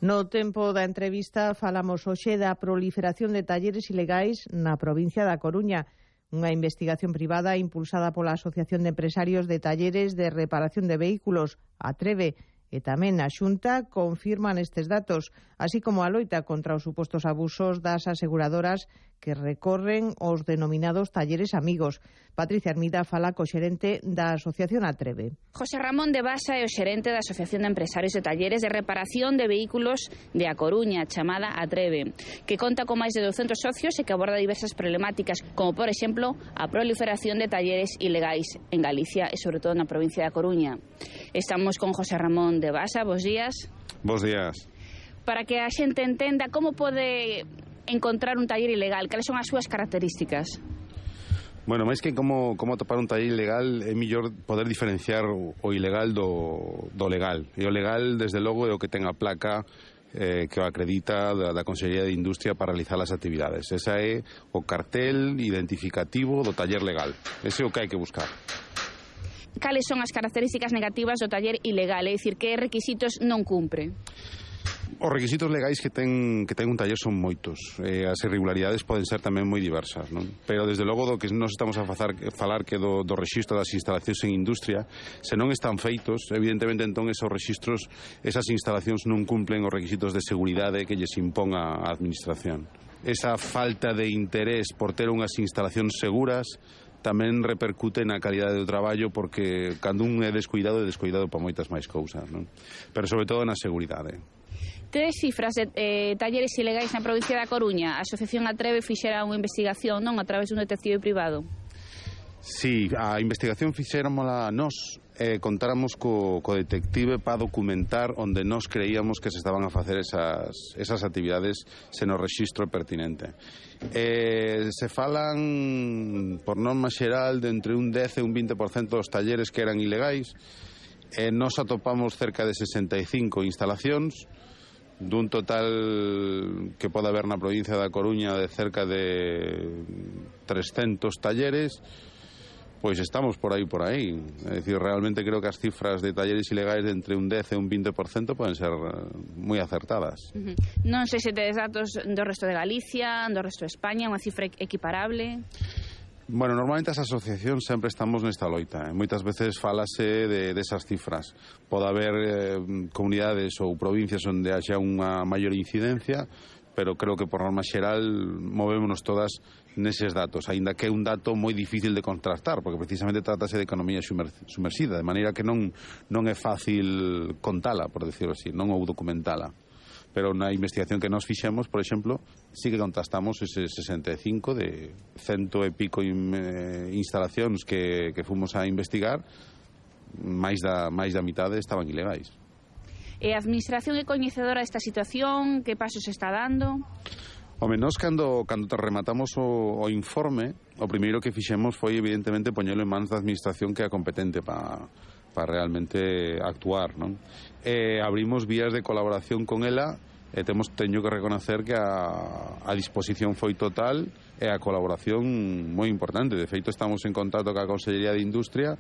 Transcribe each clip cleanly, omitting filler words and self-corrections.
No tempo da entrevista falamos hoxe da proliferación de talleres ilegais na provincia da Coruña. Unha investigación privada impulsada pola Asociación de Empresarios de Talleres de Reparación de Vehículos, Atreve, e tamén a Xunta confirman estes datos, así como a loita contra os supostos abusos das aseguradoras que recorren os denominados talleres amigos. Patricia Hermida fala co xerente da Asociación Atreve. José Ramón de Basa é o xerente da Asociación de Empresarios de Talleres de Reparación de Vehículos de A Coruña, chamada Atreve, que conta con máis de 200 socios e que aborda diversas problemáticas, como, por exemplo, a proliferación de talleres ilegais en Galicia e, sobre todo, na provincia da Coruña. Estamos con José Ramón de Basa. Bos días. Bos días. Para que a xente entenda como pode encontrar un taller ilegal, cales son as súas características? Bueno, máis que como atopar un taller ilegal, é mellor poder diferenciar o ilegal do legal. E o legal, desde logo, é o que ten a placa que o acredita da Consellería de Industria para realizar as actividades. Esa é o cartel identificativo do taller legal. Ese é o que hai que buscar. Cales son as características negativas do taller ilegal? É dicir, que requisitos non cumpre? Os requisitos legais que ten un taller son moitos. As irregularidades poden ser tamén moi diversas, non? Pero desde logo do que nos estamos a falar que do rexistro das instalacións en industria, se non están feitos, evidentemente entón esos rexistros, esas instalacións non cumplen os requisitos de seguridade que lles impón a administración. Esa falta de interés por ter unhas instalacións seguras tamén repercute na calidade do traballo, porque cando un é descuidado para moitas máis cousas, non? Pero sobre todo na seguridade. Tedes cifras de talleres ilegais na provincia da Coruña? A Asociación Atreve fixera unha investigación, non, a través dun detective privado? Sí, a investigación fixéramola nós, contáramos co detective para documentar onde nós creíamos que se estaban a facer esas actividades sen o rexistro pertinente. Se falan, por norma xeral, de entre un 10 e un 20% dos talleres que eran ilegais. Nós atopamos cerca de 65 instalacións, dun total que pode haber na provincia da Coruña de cerca de 300 talleres. Pois estamos por aí. É dicir, realmente creo que as cifras de talleres ilegais de entre un 10 e un 20% poden ser moi acertadas. Non sei se tedes datos do resto de Galicia, do resto de España, unha cifra equiparable. Bueno, normalmente as asociacións sempre estamos nesta loita. Moitas veces falase desas cifras. Pode haber comunidades ou provincias onde haxa unha maior incidencia, pero creo que por norma xeral movémonos todas neses datos, aínda que é un dato moi difícil de contrastar, porque precisamente trátase de economía sumersida, de maneira que non é fácil contala, por decirlo así, non ou documentala. Pero na investigación que nos fixemos, por exemplo, sí que contrastamos ese 65 de 100 e pico instalacións que fomos a investigar, máis da mitade estaban ilegais. E a administración é coñecedora desta situación? Que pasos está dando? Home, nós cando rematamos o informe, o primeiro que fixemos foi evidentemente poñelo en mans da administración, que é a competente para realmente actuar, non? Abrimos vías de colaboración con ela e teño que reconocer que a disposición foi total e a colaboración moi importante. De feito, estamos en contacto ca Consellería de Industria,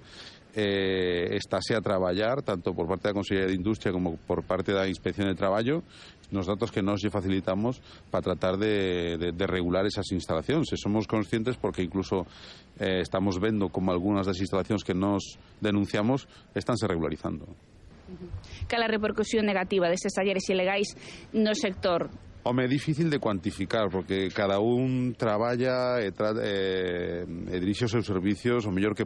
estáse a traballar tanto por parte da Consellería de Industria como por parte da Inspección de Traballo nos datos que nos lle facilitamos para tratar de regular esas instalacións. E somos conscientes porque incluso estamos vendo como algunhas das instalacións que nos denunciamos estánse regularizando. Cal a repercusión negativa destes talleres ilegais no sector? Home, é difícil de cuantificar, porque cada un traballa e dirixe os seus servicios o mellor que